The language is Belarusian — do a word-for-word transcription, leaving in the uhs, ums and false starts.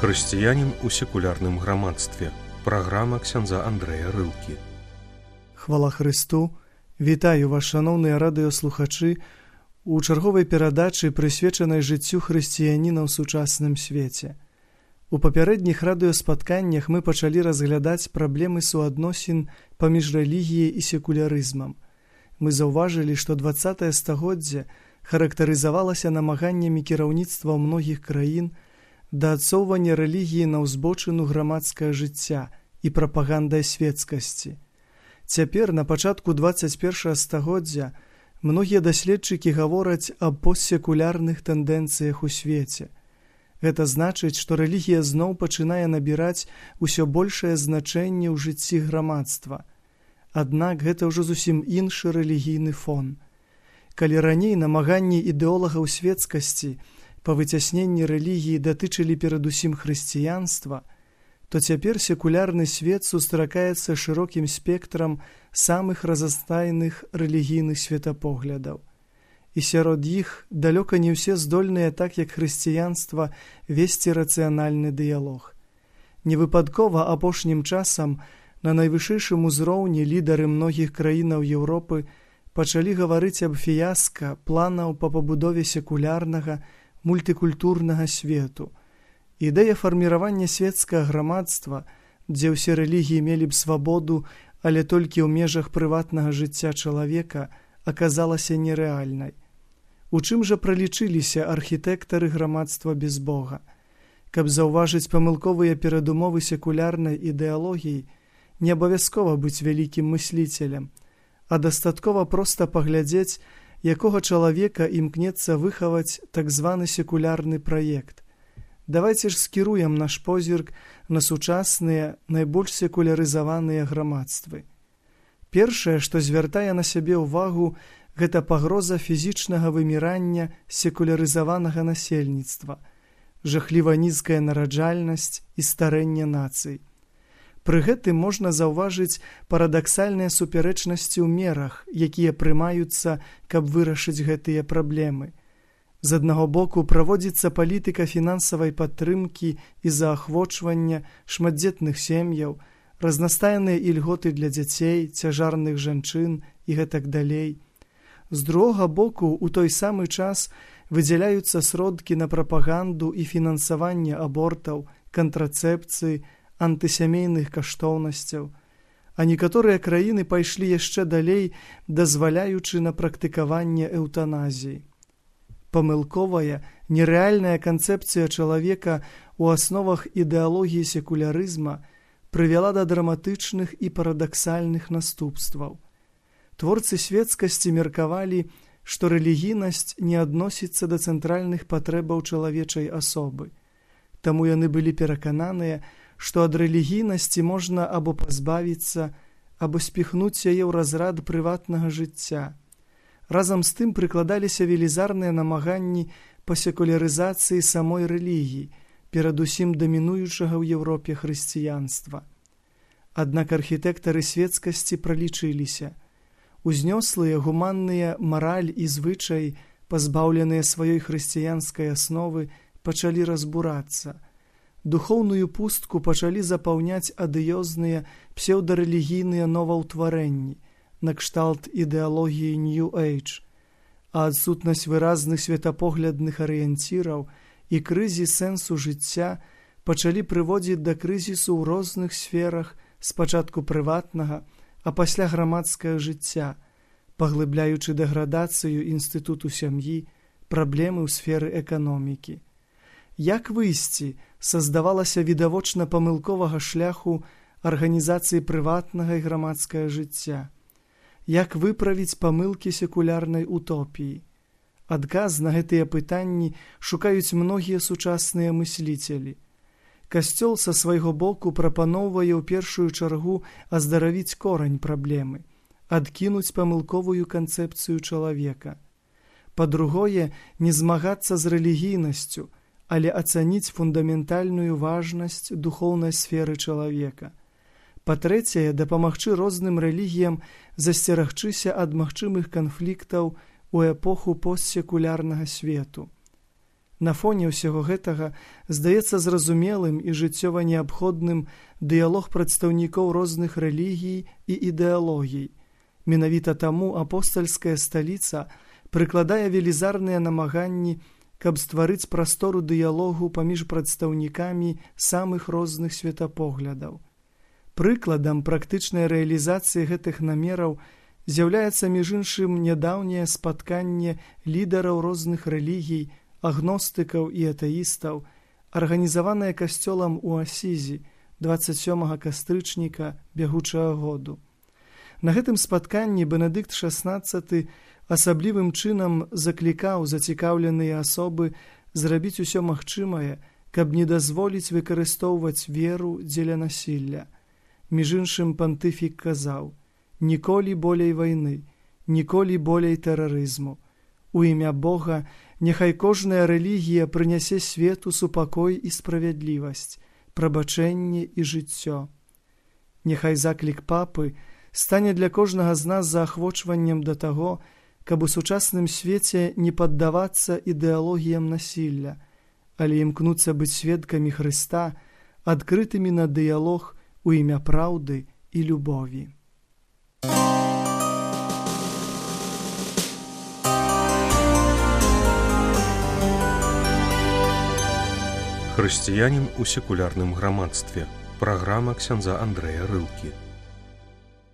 Хрысціянін у секулярным грамадстве. Праграма ксяндза Андрэя Рылкі. Хвала Христу! Вітаю вас, шаноўныя радыёслухачы, у чарговай перадачы, прысвечанай жыццю хрысціяніна ў сучасным свеце. У папярэдніх радыёспатканнях мы пачалі разглядаць праблемы суадносін паміж рэлігіяй і секулярызмам. Мы заўважылі, што дваццатае стагоддзе характарызавалася намаганнямі кіраўніцтва многіх краін да адсоўвання рэлігіі на ўзбочыну грамадскае жыцця і прапагандай светскасці. Цяпер, на пачатку дваццаць першага стагоддзя, многія даследчыкі гавораць аб постсекулярных тэндэнцыях у свеце. Гэта значыць, што рэлігія зноў пачынае набіраць усё большае значэнне ў жыцці грамадства. Аднак гэта ўжо зусім іншы рэлігійны фон. Калі раней намаганні ідэолагаў светскасці па выцясненні рэлігіі датычылі перадусім хрысціянства, то цяпер секулярны свет сустракаецца шырокім спектрам самых разнастайных рэлігійных светапоглядаў. І сярод іх далёка не ўсе здольныя, так як хрысціянства, весці рацыянальны дыялог. Невыпадкова апошнім часам на найвышэйшым узроўні лідары многіх краінаў Еўропы пачалі гаварыць аб фіяска планаў па пабудове секулярнага, мультыкультурнага свету. Ідэя фарміравання светскага грамадства, дзе ўсе рэлігіі мелі б свабоду, але толькі ў межах прыватнага жыцця чалавека, аказалася нерэальнай. У чым жа пралічыліся архітэктары грамадства без Бога? Каб заўважыць памылковыя перадумовы секулярнай ідэалогіі, не абавязкова быць вялікім мысліцелем, а дастаткова проста паглядзець, якога чалавека імкнецца выхаваць так званы секулярны праект. Давайце ж скіруем наш позірк на сучасныя, найбольш секулярызаваныя грамадствы. Першае, што звяртае на сябе ўвагу, гэта пагроза фізічнага вымірання секулярызаванага насельніцтва, жахліва нізкая нараджальнасць і старэнне нацый. Пры гэтым можна заўважыць парадаксальныя супярэчнасці ў мерах, якія прымаюцца, каб вырашыць гэтыя праблемы. З аднаго боку праводзіцца палітыка фінансавай падтрымкі і заахвочвання шматдзетных сем'яў, разнастайныя ільготы для дзяцей, цяжарных жанчын і гэтак далей. З другога боку, у той самы час выдзяляюцца сродкі на прапаганду і фінансаванне абортаў, кантрацэпцыі, антысямейных каштоўнасцяў, а некаторыя краіны пайшлі яшчэ далей, дазваляючы на практыкаванне эўтаназіі. Памылковая, нерэальная канцэпцыя чалавека ў асновах ідэалогіі секулярызма прывяла да драматычных і парадаксальных наступстваў. Творцы светскасці меркавалі, што рэлігійнасць не адносіцца да цэнтральных патрэбаў чалавечай асобы. Таму яны былі перакананыя, што ад рэлігійнасці можна або пазбавіцца, або спіхнуць яе ў разрад прыватнага жыцця. Разам з тым прыкладаліся велізарныя намаганні па секулярызацыі самой рэлігіі, перадусім дамінуючага ў Еўропе хрысціянства. Аднак архітэктары светскасці пралічыліся. Узнёслыя гуманныя мараль і звычай, пазбаўленыя сваёй хрысціянскай асновы, пачалі разбурацца. Духоўную пустку пачалі запаўняць адыёзныя псеўдарэлігійныя новаўтварэнні, накшталт ідэалогіі New Age, а адсутнасць выразных светапоглядных арыенціраў і крызіс сэнсу жыцця пачалі прыводзіць да крызісу ў розных сферах, спачатку прыватнага, а пасля грамадскага жыцця, паглыбляючы дэградацыю інстытуту сям'і, праблемы ў сферы эканомікі. Як выйсці са, здавалася, відавочна памылковага шляху арганізацыі прыватнага і грамадскага жыцця? Як выправіць памылкі секулярнай утопіі? Адказ на гэтыя пытанні шукаюць многія сучасныя мысліцелі. Касцёл са свайго боку прапаноўвае ў першую чаргу аздаравіць корань праблемы, адкінуць памылковую канцэпцыю чалавека. Па-другое, не змагацца з рэлігійнасцю, але ацаніць фундаментальную важнасць духоўнай сферы чалавека. Па-трэцяе, дапамагчы розным рэлігіям засцерагчыся ад магчымых канфліктаў у эпоху постсекулярнага свету. На фоне ўсяго гэтага здаецца зразумелым і жыццёва неабходным дыялог прадстаўнікоў розных рэлігій і ідэалогій. Менавіта таму апостальская сталіца прыкладае велізарныя намаганні, каб стварыць прастору дыялогу паміж прадстаўнікамі самых розных светапоглядаў. Прыкладам практычнай рэалізацыі гэтых намераў з'яўляецца між іншым нядаўняе спатканне лідараў розных рэлігій, агностыкаў і атэістаў, арганізаванае касцёлам у Асізі дваццаць сёмага кастрычніка бягучага году. На гэтым спатканні Бенедыкт шаснаццаты асаблівым чынам заклікаў зацікаўленыя асобы зрабіць усё магчымае, каб не дазволіць выкарыстоўваць веру дзеля насілля. Між іншым пантыфік казаў: «Ніколі болей вайны, ніколі болей тэрарызму. У імя Бога няхай кожная рэлігія прынясе свету супакой і справядлівасць, прабачэнне і жыццё». Няхай заклік папы стане для кожнага з нас заахвочваннем да таго, каб у сучасным свеце не паддавацца ідэалогіям насілля, але імкнуцца быць сведкамі Хрыста, адкрытымі на дыялог у імя праўды і любові. Хрысціянін у секулярным грамадстве. Праграма ксяндза Андрэя Рылкі.